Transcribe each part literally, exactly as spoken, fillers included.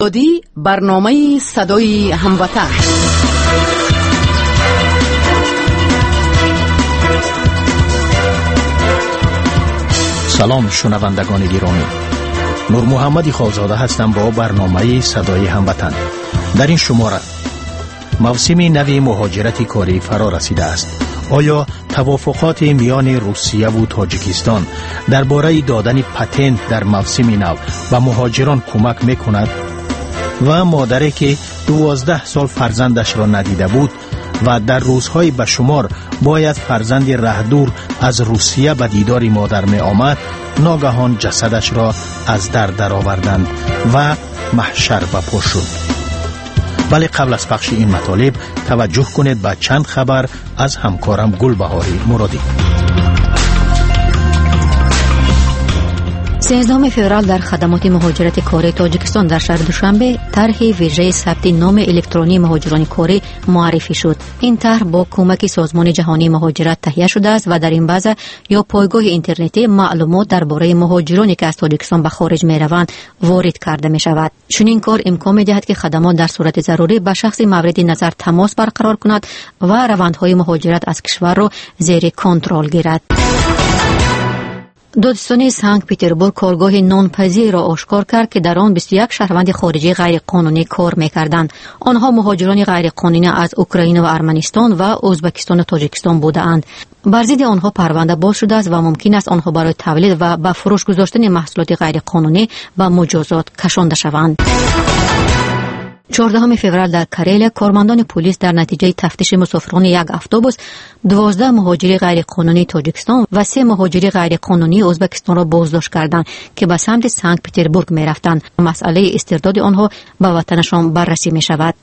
Озодӣ барномаи садои ҳамватан. Салом шунавандагони гиромӣ. Нурмуҳаммади Холзода ҳастам бо барномаи садои ҳамватан. Дар ин шумора мавсими нави муҳоҷирати корӣ фаро расидааст. Оё тавофуқоти миёни Русияву Тоҷикистон дар бораи додани патент дар мавсими нав ба муҳоҷирон кӯмак мекунад? Ва модаре ки дувоздаҳ сол фарзандашро надида буд ва дар рӯзҳои ба шумор бояд фарзанди раҳдур аз Русия ба дидори модар меомад, ногаҳон ҷасадашро аз дар дароварданд ва маҳшар ба по шуд. Вале қабл аз пахши ин матолиб таваҷҷӯҳ кунед ба чанд хабар аз ҳамкорам Гулбаҳори Муродӣ. Сенздаҳуми феврал дар хадамоти муҳоҷирати кории Тоҷикистон дар шаҳри Душанбе тарҳи вижаи сабти номи электронии муҳоҷирони корӣ муаррифӣ шуд. Ин тарҳ бо кӯмаки Созмони ҷаҳонии муҳоҷират таҳия шудааст ва дар ин база ё пойгоҳи интернетӣ маълумот дар бораи муҳоҷироне ки аз Тоҷикистон ба хориҷ мераванд ворид карда мешавад. Чунин кор имкон медиҳад, ки хадамот дар сурати зарурӣ ба шахси мавриди назар тамос барқарор кунад ва равандҳои муҳоҷират аз кишварро зери контрол гирад. Додситонии Санкт-Петербург коргоҳи нонпазиро ошкор кард, ки дар он бисту як шаҳрванди хориҷии ғайриқонунӣ кор мекарданд. Онҳо муҳоҷирони ғайриқонунӣ аз Украина ва Арманистон ва Ӯзбекистону Тоҷикистон будаанд. Бар зидди онҳо парванда боз шудааст ва мумкин аст онҳо барои тавлид ва ба фурӯш гузоштани маҳсулоти ғайриқонунӣ ба муҷозот кашонда шаванд. Чордаҳуми феврал дар Карелия кормандони полис дар натиҷаи тафтиши мусофирони як автобус дувоздаҳ муҳоҷири ғайриқонунии Тоҷикистон ва се муҳоҷири ғайриқонунии Ӯзбекистонро боздошт карданд, ки ба самти Санкт-Петербург мерафтанд. Масъалаи истирдоди онҳо ба ватанашон баррасӣ мешавад.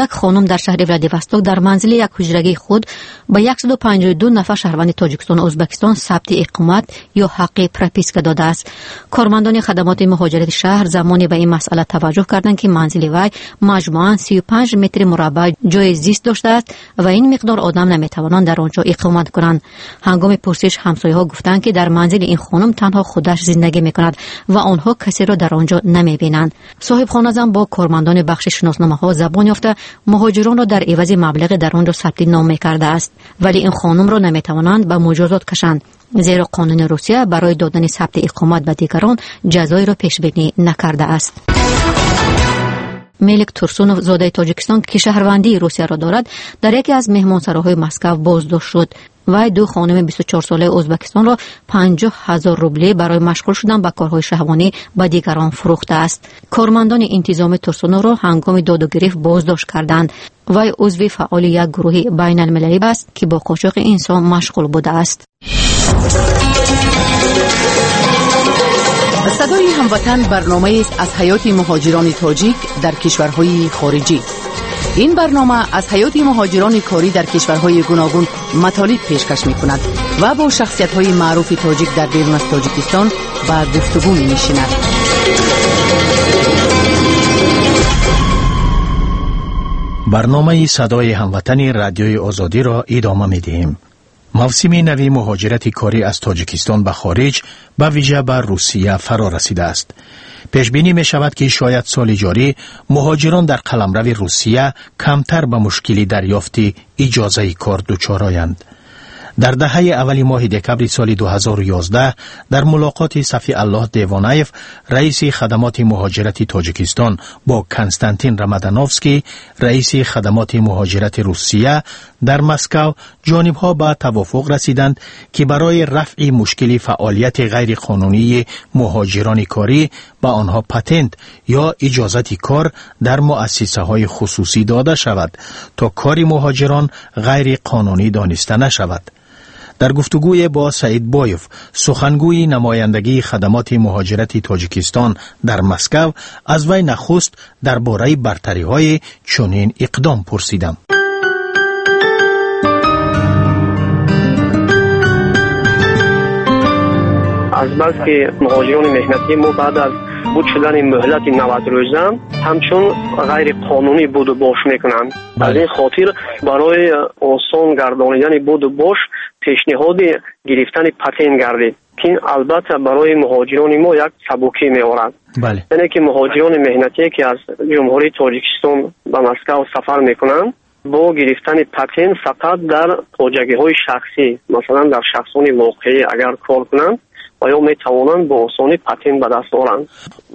Як хонум дар шаҳри Владивосток дар манзили як ҳуҷрагии худ ба яксаду панҷоҳу ду нафар шаҳрванди Тоҷикистону Ӯзбекистон сабти иқомат ё ҳаққи прописка додааст. Кормандони хадамоти муҳоҷирати шаҳр замоне ба ин масъала таваҷҷӯҳ карданд, ки манзили вай маҷмӯан сию панҷ метри мураббаъ ҷои зист доштааст ва ин миқдор одам наметавонанд дар он ҷо иқомат кунанд. Ҳангоми пурсиш ҳамсояҳо гуфтанд, ки дар манзили ин хонум танҳо худаш зиндагӣ мекунад ва онҳо касеро дар он ҷо намебинанд. Соҳибхоназан бо кормандони бахши шиносномаҳо забон ёфта муҳоҷиронро дар ивази маблағе дар он ҷо сабти ном мекардааст, вале ин хонумро наметавонанд ба муҷозот кашанд, зеро қонуни Русия барои додани сабти иқомат ба дигарон ҷазоеро пешбинӣ накардааст. Мелик Турсунов, зодаи Тоҷикистон, ки шаҳрвандии Русияро дорад, дар яке аз меҳмонсароҳои Москав боздошт шуд. Вай ду хонуми бисту чорсолаи Ӯзбекистонро панҷоҳ ҳазор рубле барои машғул шудан ба корҳои шаҳвонӣ ба дигарон фурӯхтааст. Кормандони интизоми Турсуновро ҳангоми доду гирифт боздошт карданд. Вай узви фаъоли як гурӯҳи байналмилалӣ аст, ки бо қочоқи инсон машғул будааст. Садои ҳамватан барномаест аз ҳаёти муҳоҷирони тоҷик дар кишварҳои хориҷӣ. Ин барнома аз ҳаёти муҳоҷирони корӣ дар кишварҳои гуногун матолиб пешкаш мекунад ва бо шахсиятҳои маъруфи тоҷик дар берун аз Тоҷикистон ба гуфтугӯ менишинад. Барномаи садои ҳамватани радиои Озодиро идома медиҳем. Мавсими нави муҳоҷирати корӣ аз Тоҷикистон ба хориҷ, ба вижа ба Русия фаро расидааст. Пешбинӣ мешавад, ки шояд соли ҷорӣ муҳоҷирон дар қаламрави Русия камтар ба мушкили дарёфти иҷозаи кор дучор оянд. Дар даҳаи аввали моҳи декабри соли ду ҳазору ёздаҳ дар мулоқоти Сафиаллоҳ Девонаев, раиси хадамоти муҳоҷирати Тоҷикистон, бо Константин Рамадановский, раиси хадамоти муҳоҷирати Русия дар Москав, ҷонибҳо ба тавофуқ расиданд, ки барои рафъи мушкили фаъолияти ғайриқонунии муҳоҷирони корӣ ба онҳо патент ё иҷозати кор дар муассисаҳои хусусӣ дода шавад, то кори муҳоҷирон ғайриқонунӣ дониста нашавад. Дар гуфтугӯе бо Саид Боев, сухангӯи намояндагии хадамоти муҳоҷирати Тоҷикистон дар Москав, аз вай нахуст дар бораи бартариҳои чунин иқдом пурсидам. Азбаски муҳоҷирони меҳнатии мо баъд аз буд шудани муҳлати навад рӯза ҳамчун ғайриқонунӣ буду бош мекунанд. Аз ин хотир барои осон гардонидани буду бош пешниҳоди гирифтани патент гардид. ки албатта барои муҳоҷирони мо як сабукӣ меорад. Яъне ки муҳоҷирони меҳнатие, ки аз Ҷумҳурии Тоҷикистон ба Москва сафар мекунанд, бо гирифтани патент фақат дар хоҷагиҳои шахсӣ, масалан дар шахсони воқеӣ агар кор кунанд, ва ё метавонанд бо осонӣ патент ба даст оранд.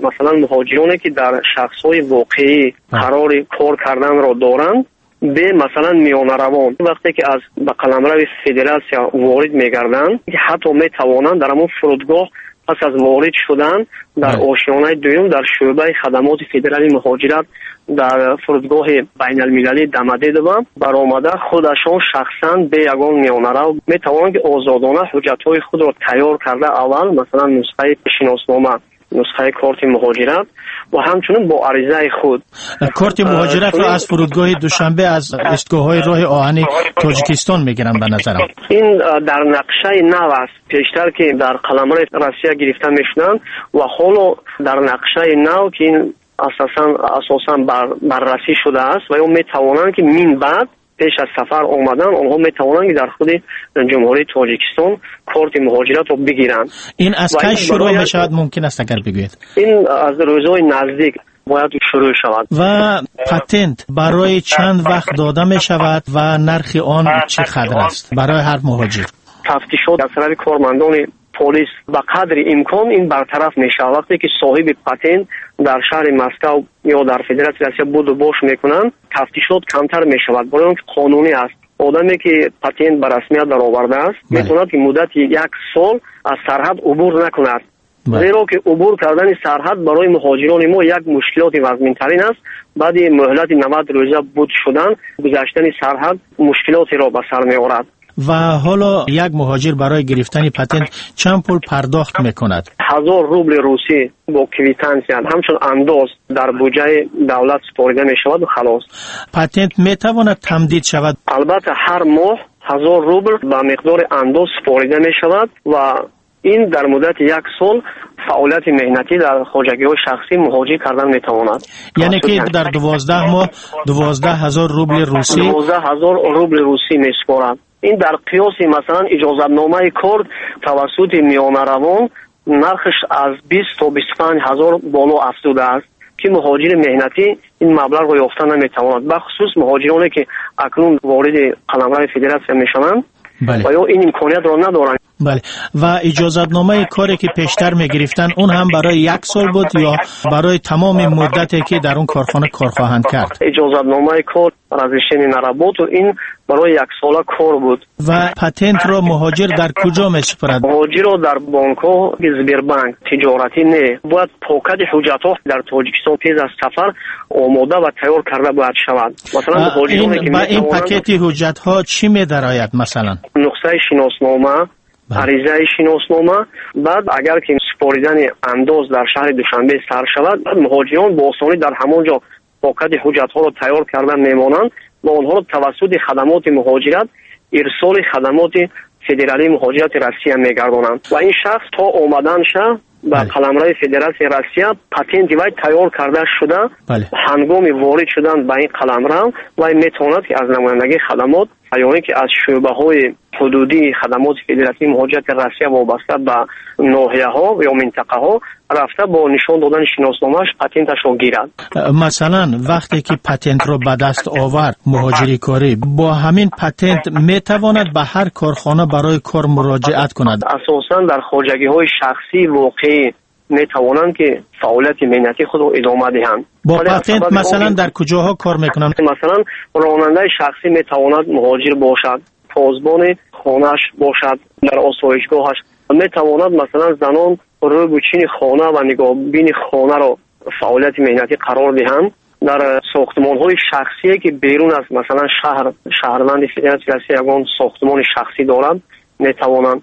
Масалан муҳоҷироне, ки дар шахсҳои воқеӣ қарори кор карданро доранд, бе масалан миёнаравон, вақте ки аз ба қаламрави федератсия ворид мегарданд, ҳатто метавонанд дар ҳамон фурудгоҳ пас аз ворид шудан дар ошёнаи дуюм дар шӯъбаи хадамоти федералии муҳоҷират дар фурудгоҳи байналмилалии Домодедово баромада худашон шахсан бе ягон миёнарав метавонанд, ки озодона ҳуҷҷатҳои худро тайёр карда, аввал масалан нусхаи шиноснома, нусхаи корти муҳоҷират ва ҳамчунин бо аризаи худ. Корти муҳоҷиратро аз фурудгоҳи Душанбе, аз истгоҳҳои роҳи оҳани Тоҷикистон мегиранд, ба назарам. Ин дар нақшаи нав аст. Пештар ки дар қаламрави Россия гирифта мешуданд ва ҳоло дар нақшаи нав, ки ин асосан асосан баррасӣ шудааст, ва ё метавонанд, ки мин баъд пеш аз сафар омадан онҳо метавонанд, ки дар худи Ҷумҳурии Тоҷикистон корти муҳоҷиратро бигиранд. Ин аз кай шурӯъ мешавад, мумкин аст агар бигӯед? Ин аз рӯзҳои наздик бояд шурӯъ шавад. Ва патент барои чанд вақт дода мешавад ва нархи он чӣ қадр аст барои ҳар муҳоҷир? Тафтишот аз тарафи кормандони полис ба қадри имкон ин бартараф мешавад. Вақте ки соҳиби патент дар шаҳри Москва ё дар Федератсияи Россия буду бош мекунанд, тафтишот камтар мешавад, барои он ки қонунӣ аст. Одаме ки патент ба расмият даровардааст, метавонад ки муддати як сол аз сарҳад убур накунад. Зеро ки убур кардани сарҳад барои муҳоҷирони мо як мушкилоти вазминтарин аст. Баъди муҳлати навад рӯза буд шудан, гузаштани сарҳад мушкилотеро ба сар меорад. Ва ҳоло як муҳоҷир барои гирифтани патент чанд пул пардохт мекунад? Ҳазор рубли русӣ бо квитансия ҳамчун андоз дар буҷаи давлат супорида мешавад ва халос. Патент метавонад тамдид шавад? Албатта, ҳар моҳ ҳазор рубл ба миқдори андоз супорида мешавад ва ин дар муддати як сол фаъолияти меҳнатӣ дар хоҷагиҳои шахсӣ муҳоҷир кардан метавонад. Яъне ки дар дувоздаҳ моҳ дувоздаҳ ҳазор рубли русӣ, дувоздаҳ ҳазор рубли русӣ месупорад. Ин дар қиёси масалан иҷозатномаи кор тавассути миёнаравон нархш аз бист то бисту панҷ ҳазор боло афзудааст, ки муҳоҷири меҳнатӣ ин маблағро ёфта наметавонад. Бахусус муҳоҷироне, ки акнун вориди қаламрави федератсия мешаванд ва ё ин имкониятро надоранд. Бале. Ва иҷозатномаи коре ки пештар мегирифтанд, он ҳам барои як сол буд ё барои тамоми муддате ки дар он корхона кор хоҳанд кард? Иҷозатномаи кор, разрешение на работу, ин барои як сола кор буд. Ва патентро муҳоҷир дар куҷо месупорад? Муҳоҷирро дар бонкҳо, Сбербанк, тиҷоратӣ не. Бояд покати ҳуҷҷатҳо дар Тоҷикистон пеш аз сафар омода ва тайёр карда бояд шавад. Масалан муҳоҷироне ки ба ин пакети ҳуҷҷатҳо чӣ медарояд масалан? Нусхаи шиноснома, аризаи шиноснома. Баъд агар ки супоридани андоз дар шаҳри Душанбе сар шавад, муҳоҷирон бо осонӣ дар ҳамон ҷо покати ҳуҷҷатҳоро тайёр карда мемонанд ва онҳоро тавассути хадамоти муҳоҷират ирсоли хадамоти федералии муҳоҷирати Россия мегардонанд ва ин шахс то омаданша ба қаламрави Федератсияи Россия патенти вай тайёр карда шуда, ҳангоми ворид шудан ба ин қаламрав вай метавонад, ки аз намояндагии хадамот ё ин ки аз шӯъбаҳои ҳудудии хадамоти федеративии муҳоҷирати Россия вобаста ба ноҳияҳо ё минтақаҳо рафта бо нишон додани шиносномааш патенташро гирад. Масалан вақте ки патентро ба даст овард муҳоҷири корӣ, бо ҳамин патент метавонад ба ҳар корхона барои кор муроҷиат кунад? Асосан дар хоҷагиҳои шахсии воқеӣ метавонанд, ки фаъолияти меҳнатии худро идома диҳанд. Бо патент масалан дар куҷоҳо кор мекунанд? Масалан ронандаи шахсӣ метавонад муҳоҷир бошад, посбони хонааш бошад, дар осоишгоҳаш метавонад, масалан занон рӯбучини хона ва нигоҳбини хонаро фаъолияти меҳнатӣ қарор диҳанд. Дар сохтмонҳои шахсие ки берун аз масалан шаҳр, шаҳрванди Федератсияи Россия ягон сохтмони шахсӣ дорад, метавонанд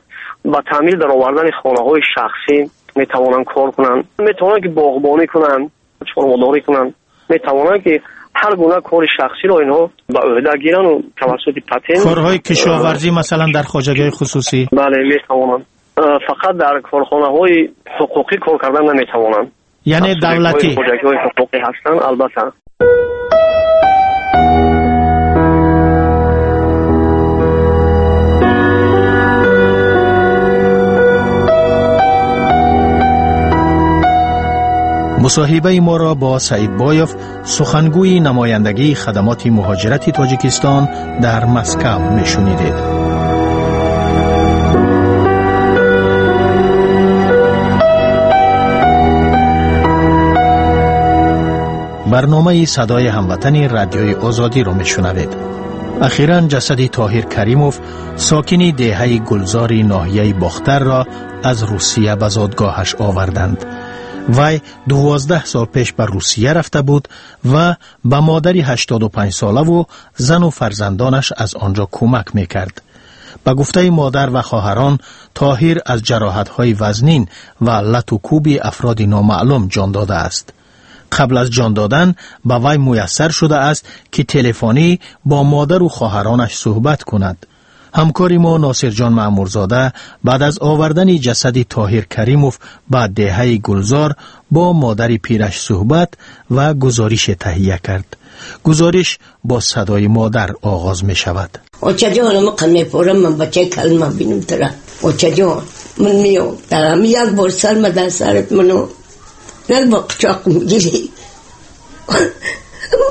ба таъмир даровардани хонаҳои шахсӣ метавонанд кор кунанд, метавонанд ки боғбонӣ кунанд, чорводорӣ кунанд, метавонанд ки ҳар гуна кори шахсиро инҳо ба ӯҳда гиранд ва тавассути патент корҳои кишоварзӣ масалан дар хоҷагиҳои хусусӣ. Бале, метавонанд. Фақат дар корхонаҳои ҳуқуқӣ кор кардан наметавонанд. Яъне давлатӣ хоҷагиҳои ҳуқуқӣ ҳастанд, албатта. Мусоҳибаи моро бо Саид Боев, сухангӯи намояндагии хадамоти муҳоҷирати Тоҷикистон дар Москав мешунидед. Барномаи садои ҳамватани радиои Озодиро мешунавед. Ахиран ҷасади Тоҳир Каримов, сокини деҳаи Гулзори ноҳияи Бохтарро аз Русия ба зодгоҳаш оварданд. Вай дувоздаҳ сол пеш ба Русия рафта буд ва ба модари ҳаштоду панҷ солаву зану фарзандонаш аз он ҷо кӯмак мекард. Ба гуфтаи модар ва хоҳарон, Тоҳир аз ҷароҳатҳои вазнин ва лату кӯби афроди номаълум ҷон додааст. Қабл аз ҷон додан ба вай муяссар шудааст, ки телефонӣ бо модару хоҳаронаш суҳбат кунад. Ҳамкори мо Носирҷон Маъмурзода баъд аз овардани ҷасади Тоҳир Каримов ба деҳаи Гулзор бо модари пираш суҳбат ва гузорише таҳия кард. Гузориш бо садои модар оғоз мешавад. Очаҷон, ман мепорам, ман бачаи калма бинам тара. Очаҷон, ман меом. Як бор сарма дар сарат ману як бор қучоқ мегирӣ.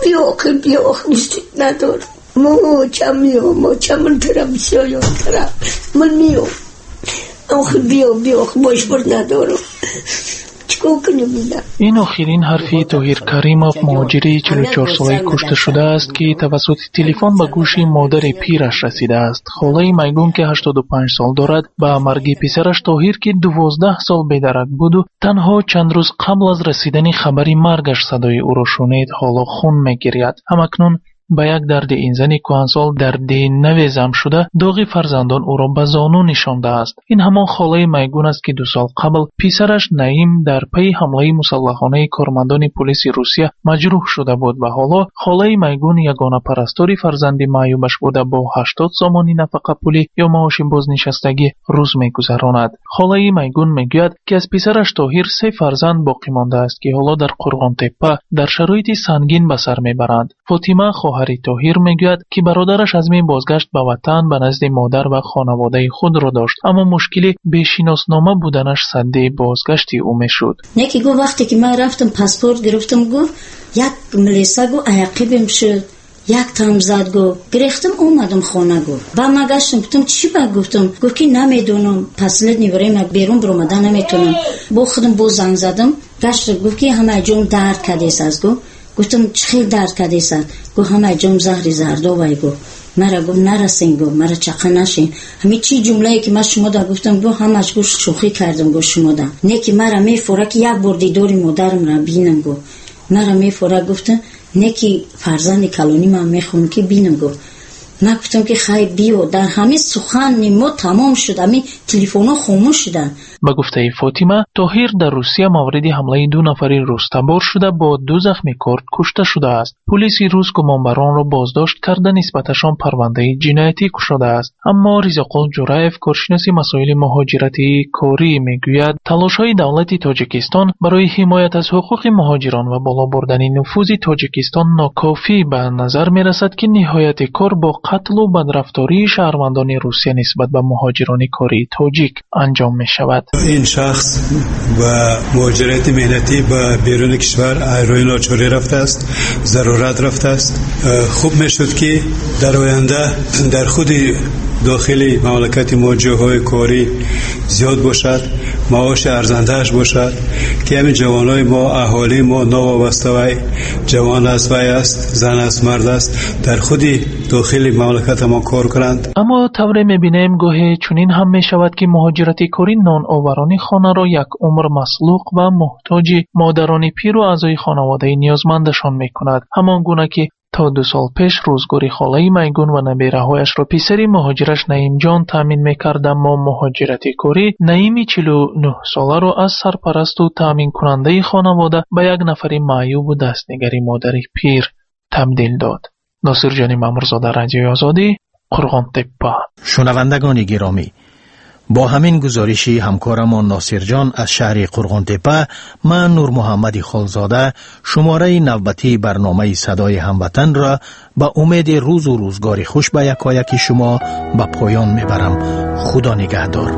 Биё охир, биё охир, мустид надорам. Моча меом, моча ман тара бисёр ёд кардам. Ман меом. Охир биё, биё, охир бош бор надорам. Чикор кунем ина? Ин охирин ҳарфи Тоҳир Каримов, муҳоҷири чилу чорсолаи кушта шудааст, ки тавассути телефон ба гӯши модари пираш расидааст. Холаи Майгун, ки ҳаштоду панҷ сол дорад, ба марги писараш Тоҳир, ки дувоздаҳ сол бедарак буду танҳо чанд рӯз қабл аз расидани хабари маргаш садои ӯро шунид, ҳоло хун мегиряд. Ҳамакнун ба як дарди ин зани кӯҳансол дарди наве зам шуда, доғи фарзандон ӯро ба зону нишондааст. Ин ҳамон холаи Майгун аст, ки ду сол қабл писараш Наим дар пайи ҳамлаи мусаллаҳонаи кормандони полиси Русия маҷрӯҳ шуда буд ва ҳоло холаи Майгун ягона парастори фарзанди маъюбаш буда бо ҳаштод сомони нафақапулӣ ё маоши бознишастагӣ рӯз мегузаронад. Холаи Майгун мегӯяд, ки аз писараш Тоҳир се фарзанд боқӣ мондааст, ки ҳоло дар Қурғонтеппа дар шароити сангин ба сар мебаранд. Фотима, хоҳари Тоҳир, мегӯяд, ки бародараш азми бозгашт ба ватан ба назди модар ва хонаводаи худро дошт, аммо мушкили бешиноснома буданаш садди бозгашти ӯ мешуд. Не ки гуфт, вақте ки ман рафтам паспорт гирифтам, гуфт як милиса гуфт аяқибим шуд, як там зад, гуфт гирифтам омадам хона, гуфт ба ман гаштам, гуфтам чӣ ба, гуфтам, гуфт ки намедонам, последний время берун баромадан наметонам. Бо худам боз занг задам, гашт, гуфт ки ҳама ҷом дард кардест аз, гуфт. Гуфтам чӣ хел дард кардест? Гуфт ҳама ҷом заҳри зардовай, гуфт. Мара гуфт нарасен, гуфт мара чақа нашин. Ҳамин чӣ ҷумлае ки ман шумо да гуфтам, гуфт ҳамаш гуфт шӯхӣ кардам, гуфт шумо да. Не ки мара мефора ки як бор дидори модарамра бинам, гуфт. Мара мефора, гуфтам, не ки фарзанди калонӣ ман мехоҳам ки бинам, гуфт. Ман гуфтам ки хай биё. Дар ҳамин сухани мо тамом шуд, ҳамин телефонҳо хомӯш шуданд. Ба гуфтаи Фотима, Тоҳир дар Русия мавриди ҳамлаи ду нафари рустабор шуда бо ду захми корд кушта шудааст. Полиси рус гумонбаронро боздошт карда нисбаташон парвандаи ҷиноятӣ кушодааст. Аммо Ризоқул Ҷураев, коршиноси масоили муҳоҷирати корӣ, мегӯяд талошҳои давлати Тоҷикистон барои ҳимоят аз ҳуқуқи муҳоҷирон ва боло бурдани нуфузи Тоҷикистон нокофӣ ба назар мерасад, ки ниҳояти кор бо қатлу бадрафтории шаҳрвандони Русия нисбат ба муҳоҷирони кории тоҷик анҷом мешавад. Ин шахс ба муҳоҷирати меҳнатӣ ба беруни кишвар рӯи ночорӣ рафтааст, зарурат рафтааст. Хуб мешуд, ки дар оянда дар худи дохили мамлакати мо ҷойҳои корӣ зиёд бошад, маоши арзандааш бошад, ки ҳамин ҷавонои мо, аҳолии мо новобаста вай ҷавон аст, вай аст, зан аст, мард аст, дар худи дохили мамлакатамон кор кунанд. Аммо тавре мебинем, гоҳе чунин ҳам мешавад, ки муҳоҷирати корӣ ноноварони хонаро як умр маслуқ ва муҳтоҷи модарони пиру аъзои хонаводаи ниёзмандашон мекунад. Ҳамон гуна ки то ду сол пеш рӯзгори холаи Майгун ва набераҳояшро писари муҳоҷираш Наимҷон таъмин мекард, аммо муҳоҷирати корӣ Наими чилу нӯҳсоларо аз сарпарасту таъминкунандаи хонавода ба як нафари маъюбу дастнигари модари пир табдил дод. Носирҷони Маъмурзода, Радиои Озодӣ, Қурғонтеппа. Шунавандагони гиромӣ, бо ҳамин гузориши ҳамкорамон Носирҷон аз шаҳри Қурғонтеппа, ман Нурмуҳаммади Холзода шумораи навбатии барномаи садои ҳамватанро ба умеди рӯзу рӯзгори хуш ба якояки шумо ба поён мебарам. Худо нигаҳдор.